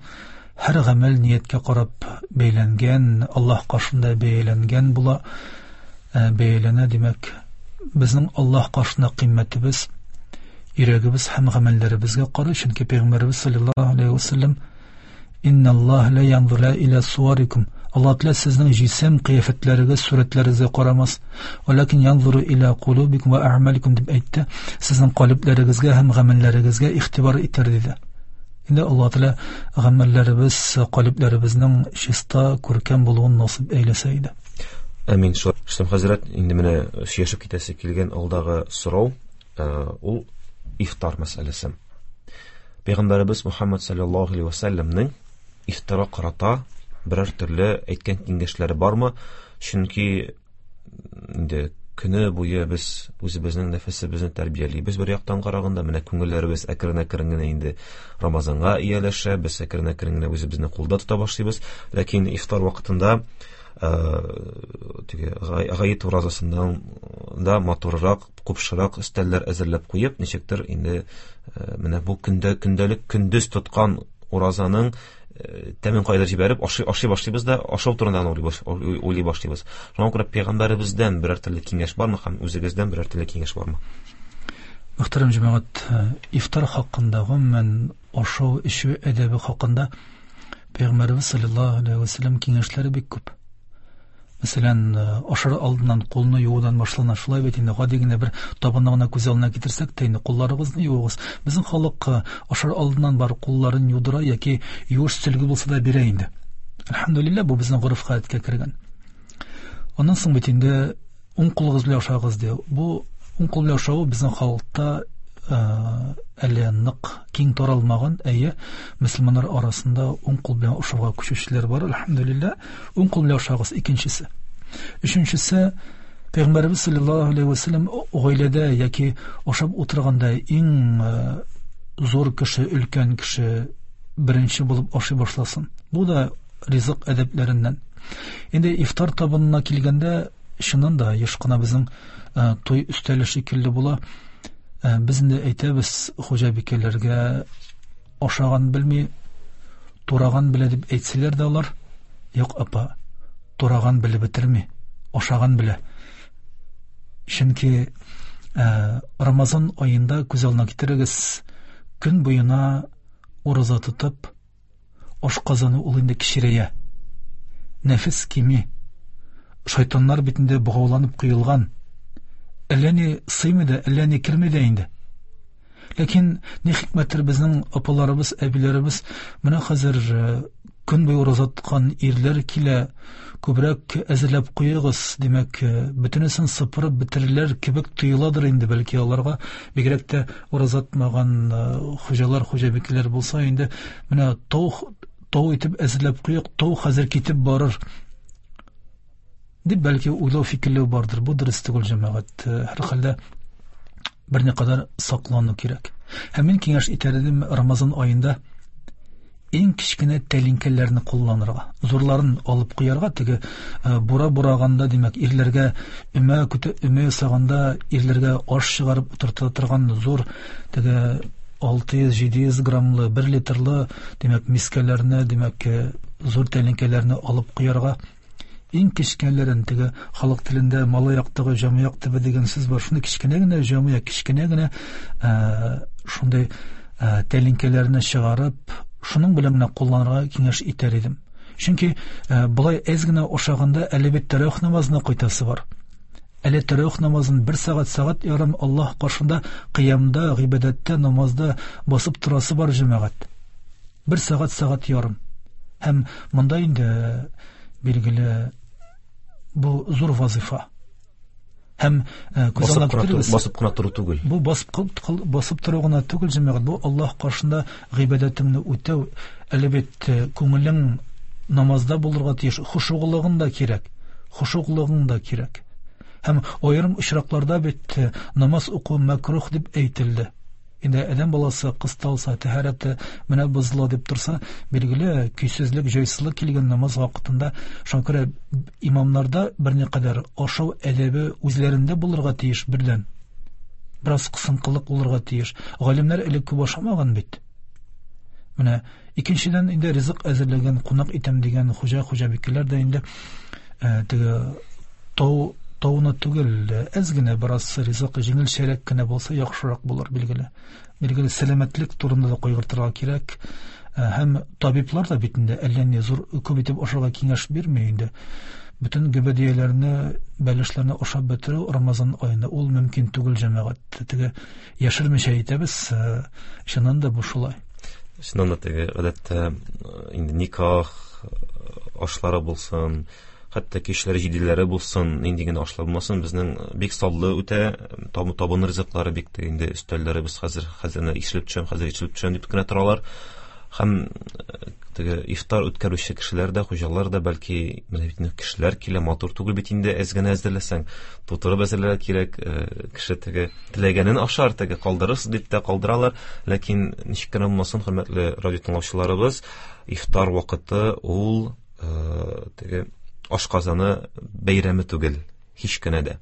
Һәр гамәл нияткә карап бәйләнгән, Аллаһ каршында бәяләнгән була, бәяләнә, димәк, безнең Аллаһ каршында кыйммәтебез йөрәгебез һәм гамәлләребезгә карый, чөнки Пәйгамбәребез саллаллаһу алейһи ва саллям Инналлаһ ла янзура иля суарикум. Аллаһ Тәгалә сезнең җисем кыяфәтләрегез, сурәтләрегезгә карамас. Валакин янзуру иля кулубикум ва а'маликум дип әйтте. Сезнең калебләрегезгә һәм гамәлләрегезгә игътибар итәр диде. Инде Аллаһ Тәгалә гамәлләребез, калебләребезнең чиста, күркәм булуын насыйп әйләсә иде. Әмин. Рөстәм хәзрәт, инде менә сөйләшеп китәсе килгән алдагы сорау, ул ифтар мәсьәләсе. Пәйгамбәребез Мухаммад саллаллаһу алейһи ва сәлләмнең ифтарга карата берәр төрле әйткән киңәшләре бармы? Чөнки инде көне буе без үзебезнең нәфесебезне тәрбиялибез бер яктан караганда, менә күңелләребез әкрен-әкрен генә инде Рамазанга ияләшә, без әкрен-әкрен генә үзебезне кулда тота башлыйбыз. Ләкин ифтар вакытында теге гает уразасыннан да матуррак, купшырак өстәлләр әзерләп куеп, ничектер инде менә бу көндә көндәлек көндез тоткан уразаның тәмен кайда җибәреп ашый, ашый башлыйбыз да ашау турында уйлый башлыйбыз. Шуңа күрә пәйгамбәребездән берәр төрле киңәш бармы һәм үзегездән берәр төрле киңәш бармы? Мөхтәрәм җәмәгать, ифтар хакында, гомумән ашау, эчү әдәбе хакында Пәйгамбәребез саллаллаһу алейһи ва сәлләм киңәшләре бик күп. Мәсәлән, ашар алдыннан кулны юудан башлана. Шулай бит инде, гади генә бер табынны гына күз алдына китерсәк тә инде кулларыгызны юыгыз. Безнең халык ашар алдыннан бар кулларын юдыра яки юеш сөлге булса да бирә инде. Әлхәмдүлилләһ, бу безнең гореф-гадәткә кергән. Аннан соң бит инде уң кулыгыз белән ашагыз ди. Бу уң кул белән ашау безнең халыкта әле нык киң таралмаган, әйе, мөселманнар арасында уң кул белән ашауга күчүчеләр бар, әлхәмдүлилләһ. Уң кул белән ашагыз, икенчесе. Өченчесе, Пәйгамбәребез саллаллаһу алейһи ва сәлләм гаиләдә яки ашап утырганда иң зур кеше, өлкән кеше беренче булып ашый башласын. Бу да ризык әдәпләреннән. Инде ифтар табынына килгәндә, чыннан да еш кына безнең туй өстәле шикелле була. Без инде әйтәбез хуҗабикәләргә, ашаган белми, тураган белә дип әйтсәләр дә алар, юк, апа, тураган белеп бетерми, ашаган белә. Чөнки Рамазан аенда күз алдына китерегез, көн буена ураза тотып, ашказаны ул инде кечерәя. Нәфес кими. Шайтаннар бит инде богауланып куелган. Әллә ни сыймый да, әллә ни керми дә инде. Ләкин ни хикмәттер безнең апаларыбыз, әбиләребез менә хәзер көн буе ураза тоткан ирләр килә, күбрәк әзерләп куегыз, димәк, бөтенесен сыпырып бетерерләр кебек тоеладыр инде, бәлки аларга, бигрәк тә ураза тотмаган хуҗалар, хуҗабикәләр булса инде, менә тау, тау итеп әзерләп куйык, тау хәзер китеп барыр дип бәлки уйлау, фикерләү бардыр. Бу дөрес түгел, җәмәгать. Һәрхәлдә берникадәр саклану кирәк. Һәм мин киңәш итәр идем Рамазан аенда иң кечкенә тәлинкәләрне кулланырга, зурларын алып куярга, теге бура бураганда, димәк, ирләргә өмә көтә, өмә ясаганда ирләргә аш чыгарып утырта торган зур теге 600-700 граммлы, 1 литрлы, димәк, мискәләрне, димәк, зур тәлинкәләрне алып куярга. Иң кечкенәләрен, теге халык телендә малай яктагы җамаяк төбе дигән сүз бар, шундый кечкенә генә җамаяк, кечкенә генә шундый тәлинкәләрне чыгарып, шуның белән генә кулланырга киңәш итәр идем. Чөнки болай әз генә ашаганда әле бит тәравих намазына кайтасы бар. Әле тәравих намазын бер сәгать, сәгать ярым Аллаһ каршында кыямда, гыйбадәттә, намазда басып торасы бар, җәмәгать. Бер сәгать, сәгать ярым. Һәм монда инде билгеле бу зур вазифа. Һәм күз алдына китерегез. Басып кына тору түгел. Бу басып тору гына түгел, җәмәгать. Бу Аллаһ каршында гыйбадәтеңне үтәү. Әле бит күңелең намазда булырга тиеш, хушуглыгың да кирәк. Хушуглыгың да кирәк. Һәм аерым очракларда бит намаз уку мәкрух дип әйтелде. Инде адәм баласы кысталса, тәһарәте менә бозыла дип торса, билгеле, көйсезлек, җайсызлык килгән намаз вакытында. Шуңа күрә имамнарда берникадәр ашау әдәбе үзләрендә булырга тиеш бердән. Бераз кысынкылык булырга тиеш. Галимнәр элек күп ашамаган бит. Менә икенчедән инде ризык әзерләгән, кунак итәм дигән хуҗа, хуҗабикәләр дә инде теге тау тауны түгел, әз генә бераз ризык җиңелчәрәк кенә булса яхшырак булыр, билгеле. Билгеле, сәламәтлек турында да кайгыртырга кирәк. Һәм табиблар да бит инде әллә ни зур күп итеп ашарга киңәш бирми инде. Бөтен гөбәдияләрне, бәлешләрне ашап бетерү Рамазан аенда ул мөмкин түгел, җәмәгать. Теге яшермичә әйтәбез, чыннан да бу шулай. Чыннан да теге гадәттә инде никах ашлары булсын, хәтта кичләре җиделәре булсын, нинди генә ашлар булмасын, безнең бик саллы үтә, табын ризыклары бик тә инде өстәлләребез хәзер хәзер ишелеп төшәм, хәзер ишелеп төшәм дип кенә торалар. Һәм теге ифтар үткәрүче кешеләр дә, хуҗалар да бәлки менә бит инде кешеләр килә, матур түгел бит инде әз генә әзерләсәң, тутырып әзерләргә кирәк, кеше теге теләгәнен ашар, теге калдырырсыз дип тә калдыралар, ләкин ничек кенә булмасын, хөрмәтле радио тыңлаучыларыбыз, ифтар вакыты ул теге ашказаны бәйрәме түгел, һич кенә дә.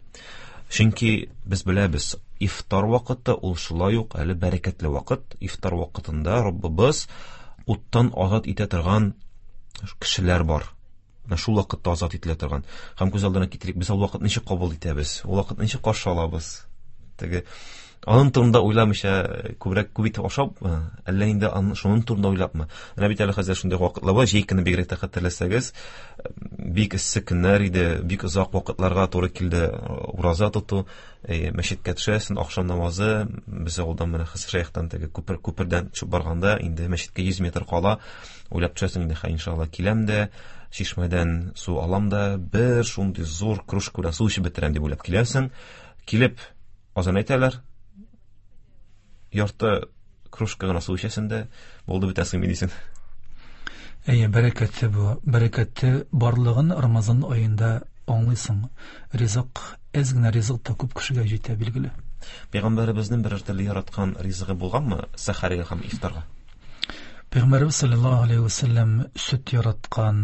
Чөнки без беләбез, ифтар вакыты ул шулай ук әле бәрәкәтле вакыт. Ифтар вакытында Раббыбыз уттан азат итә торган кешеләр бар. Менә шул вакытта азат ителә торган. Һәм күз алдына китерик, без ул вакыт ничек кабул итәбез? Ул вакыт ничек каршы алабыз? Теге аның турында уйламыйча күбрәк күп итеп ашапмы, әллә инде шуның турында уйлапмы? Менә бит әле хәзер шундый вакытлар бар, җәй көне бигрәк тә хәтерләсәгез, бик эссе көннәр иде, бик озак вакытларга туры килде ураза тоту. Мәчеткә төшәсең, ахшам намазы, без авылдан менә Хәсән теге күпердән төшеп барганда, инде мәчеткә 100 метр кала, уйлап төшәсең инде, хә, иншалла киләм дә, чишмәдән су алам да, бер шундый зур кружка белән су эчеп бетерәм дип уйлап киләсең. Килеп азан әйтәләр, ярты кружка гына су эчәсең дә, булды, бетәсең ми дисең. Әйе, бәрәкәте бу. Бәрәкәте барлыгын Рамазан аенда аңлыйсың. Ризык, әз генә ризык та күп кешегә җитә, билгеле. Пәйгамбәребезнең берәр төрле яраткан ризыгы булганмы сәхәргә һәм ифтарга? Пәйгамбәребез саллаллаһу алейһи ва сәлләм сөт яраткан,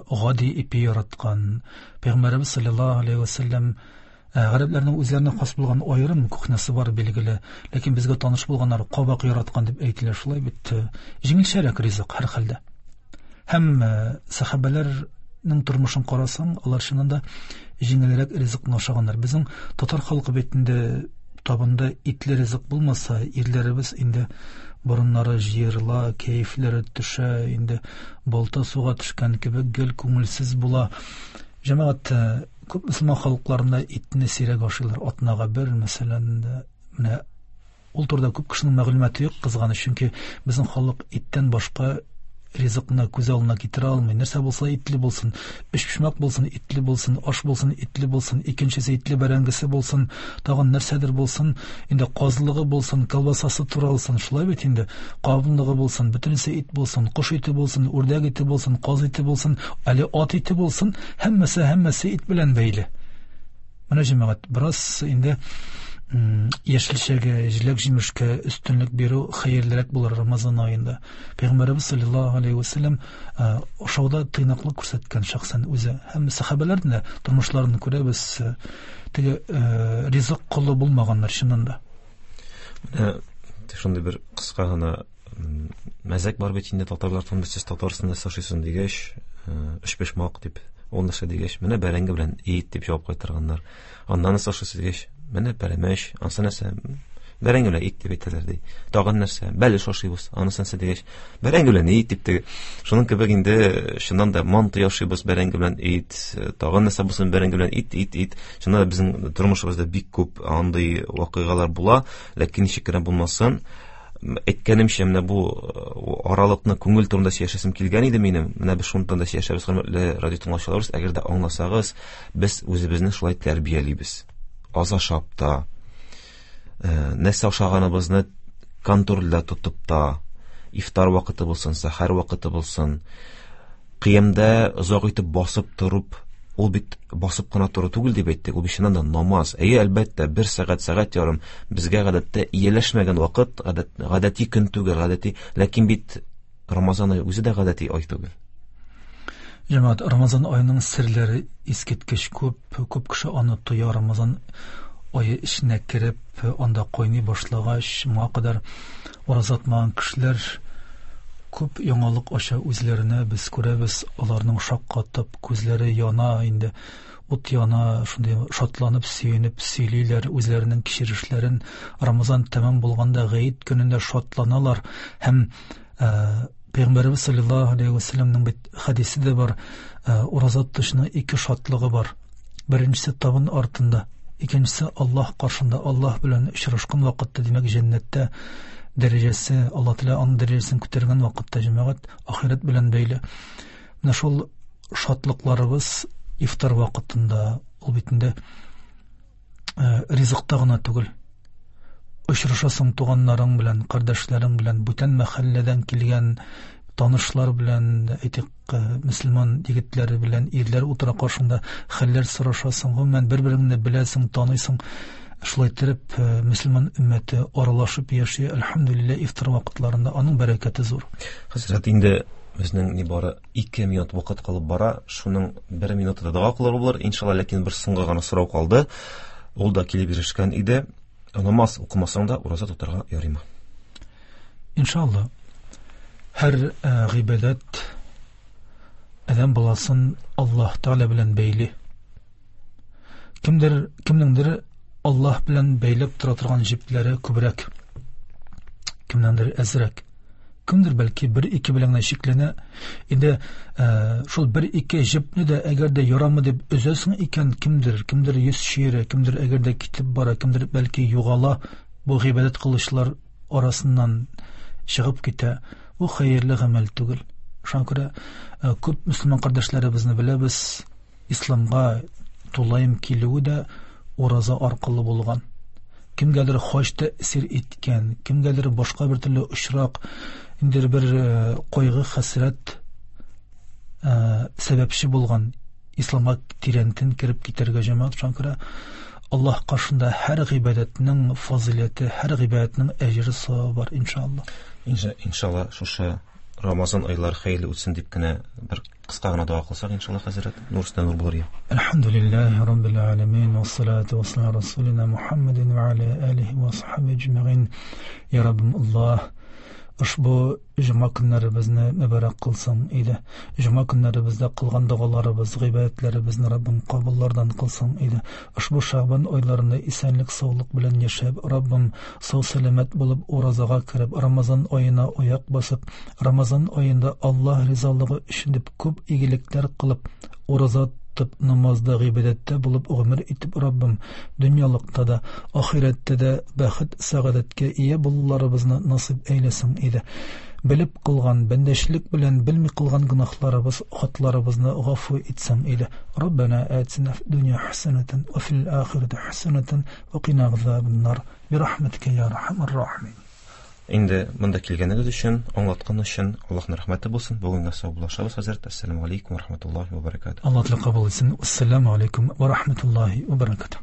гади ипи яраткан. Пәйгамбәребез саллаллаһу алейһи ва сәлләм гарәпләрнең үзләренә хас булган аерым кухнясы бар, билгеле, ләкин безгә таныш булганнар кабак яраткан дип әйтелә, шулай бит, җиңелчәрәк ризык һәр хәлдә. Һәм сәхабәләрнең тормышын карасаң, алар чыннан да җиңелрәк ризыкны ашаганнар. Безнең татар халкы бит инде табында итле ризык булмаса, ирләребез инде борыннары җыерыла, кәефләре төшә, инде балта суга төшкән кебек гел күңелсез була. Җәмәгать, күп мөселман халыкларында итне сирәк ашыйлар, атнага бер, мәсәлән, менә ул турыда күп кешенең мәгълүматы юк, кызганыч, чөнки безнең халык иттән башка ризыкны күз алдына китерә алмый. Нәрсә булса итле булсын, өчпочмак булсын, итле булсын, аш булсын, итле булсын, икенчесе итле бәрәңгесе булсын, тагын нәрсәдер булсын, инде казлыгы булсын, колбасасы туралсын, шулай бит инде, кавынлыгы булсын, бөтенесе ит булсын, кош ите булсын, үрдәк ите булсын, каз ите булсын, әле ат ите булсын, һәммәсе, һәммәсе ит белән бәйле. Менә җәмәгать, бераз инде яшелчәгә, җиләк-җимешкә өстенлек бирү хәерлерәк булыр Рамазан аенда. Пәйгамбәребез саллаллаһу алейһи ва сәлләм ашауда тыйнаклык күрсәткән шәхсән үзе. Һәм сәхабәләрнең дә тормышларын күрәбез, теге ризык колы булмаганнар чыннан да. Менә шундый бер кыска гына мәзәк бар бит инде татарлар турында, сез татарсың, нәрсә ашыйсың дигәч, өчпочмак дип, ул нәрсә дигәч, менә бәрәңге белән ит дип җавап кайтарганнар. Аннан нәрсә ашыйсыз дигәч, менә пәрәмәч, анысы нәрсә? Бәрәңге белән ит дип әйтәләр ди. Тагын нәрсә? Бәлеш ашыйбыз, анысы нәрсә дигәч, бәрәңге белән ит дип теге. Шуның кебек инде чыннан да манты ашыйбыз, бәрәңге белән ит, тагын нәрсә булсын, бәрәңге белән ит, ит, ит. Чыннан да безнең тормышыбызда бик күп андый вакыйгалар була, ләкин ничек кенә булмасын, әйткәнемчә, менә бу аралыкны күңел турында сөйләшәсем килгән иде минем. Менә без шуның турында сөйләшәбез, хөрмәтле радио тыңлаучыларыбыз, әгәр дә аңласагыз, без үзебезне шулай тәрбиялибез. Аз ашап та, нәрсә ашаганыбызны контрольдә тотып та, ифтар вакыты булсын, сәхәр вакыты булсын, кыямда озак итеп басып торып, ул бит басып кына тору түгел дип әйттек, ул бит чыннан да намаз. Әйе, әлбәттә, бер сәгать, сәгать ярым безгә гадәттә ияләшмәгән вакыт, гадәти көн түгел, гадәти, ләкин бит Рамазан ае үзе дә гадәти ай түгел. Җәмәгать, Рамазан аеның серләре искиткеч күп, күп кеше аны тоя. Рамазан ае эченә кереп, анда кайный башлагач, моңа кадәр ураза тотмаган кешеләр күп яңалык ача үзләренә, без күрәбез, аларның шаккатып, күзләре яна инде, ут яна, шундый шатланып, сөенеп сөйлиләр үзләренең кичерешләрен. Рамазан тәмам булганда гает көнендә шатланалар һәм Пәйгамбәребез саллаллаһу алейһи ва сәлләмнең бит хәдисе дә бар, ураза тотучының ике шатлыгы бар. Беренчесе табын артында, икенчесе Аллаһ каршында, Аллаһ белән очрашкан вакытта, димәк, җәннәттә дәрәҗәсе, Аллаһ Тәгалә аның дәрәҗәсен күтәргән вакытта, җәмәгать, ахирәт белән бәйле. Менә шул шатлыкларыбыз ифтар вакытында, ул бит инде ризыкта гына түгел. Очрашасың туганнарың белән, кардәшләрең белән, бүтән мәхәлләдән килгән танышлар белән, әйтик, мөселман егетләре белән, ирләр утыра каршыңда, хәлләр сорашасың, гомумән бер-береңне беләсең, таныйсың. Шулай итеп, мөселман өммәте аралашып яши, әлхәмдүлилләһ, ифтар вакытларында аның бәрәкәте зур. Хәзрәт, инде безнең нибары 2 минут вакыт калып бара, шуның 1 минуты да дога кылыр булыр, иншалла, ләкин бер соңгы гына сорау калды. Ул да килеп ирешкән иде. Намаз укымасаң да ураза тотарга ярыймы? Иншалла. Һәр гыйбадәт адәм баласын Аллаһ Тәгалә белән бәйли. Кемдер, кемнеңдер Аллаһ белән бәйләп тора торган җепләре күбрәк, кемнәндер әзрәк. Кемдер бәлки бер-ике белән генә чикләнә. Инде шул бер-ике җепне дә әгәр дә ярамы дип өзәсең икән, кемдер, кемдер йөз чөерә, кемдер әгәр дә китеп бара, кемдер бәлки югала, бу гыйбадәт кылучылар арасыннан чыгып китә. Бу хәерле гамәл түгел. Шуңа күрә күп мөселман кардәшләребезне беләбез, исламга тулаем килүе дә ураза аркылы булган. Кемгәдер хаҗ тәэсир иткән, кемгәдер башка бер төрле очрак, инде бер кайгы хәсрәт сәбәпче булган исламга тирәнтен кереп китәргә җәмәгать. Шуңа күрә Аллаһ каршында һәр гыйбадәтнең фазыйләте, һәр гыйбадәтнең әҗере савабы бар, иншалла. Иншалла, шушы Рамазан айлары хәерле үтсен дип кенә бер кыска гына дога кылсак, иншалла, хәзрәт, нур өстенә нур булыр. Әлхәмдүлилләһи раббил аламин, вассалату вассаламу расулина Мухаммадин ва аля алихи ва сахбихи аҗмаин. Я Раббым Аллаһ, ошбу җомга көннәребезне мөбарәк кылсаң иде. Җомга көннәребездә кылган догаларыбыз, гыйбадәтләребезне Раббым кабуллардан кылсаң иде. Ошбу Шәгъбан айларында исәнлек, саулык белән яшәп, Раббым сау сәламәт булып уразага кереп, Рамазан аена аяк басып, Рамазан аенда Аллаһ ризалыгы өчен дип күп игелекләр кылып, ураза тотып, намазда, гыйбадәттә булып гомер итеп, Раббым, дөньялыкта да, ахирәттә дә бәхет, сәгадәткә ия булуларыбызны насыйп әйләсең иде. Белеп кылган, бәндәчлек белән белми кылган гөнаһларыбыз, хатларыбызны гафу итсәң иде. Раббана атина фид дөнья хәсәнәтән ва фил ахирәти хәсәнәтән ва кина газабан-нар. Бирахмәтикә я архамар рахимин. Инде монда килгәнегез өчен, аңлаткан өчен Аллаһның рәхмәте булсын. Бүгенгә саубуллашабыз, хәзрәт. Ассаламу алейкум ва рахматуллаһи ва баракатуһ. Аллаһ Тәгалә кабул итсен. Ассаламу алейкум ва рахматуллаһи ва баракатуһ.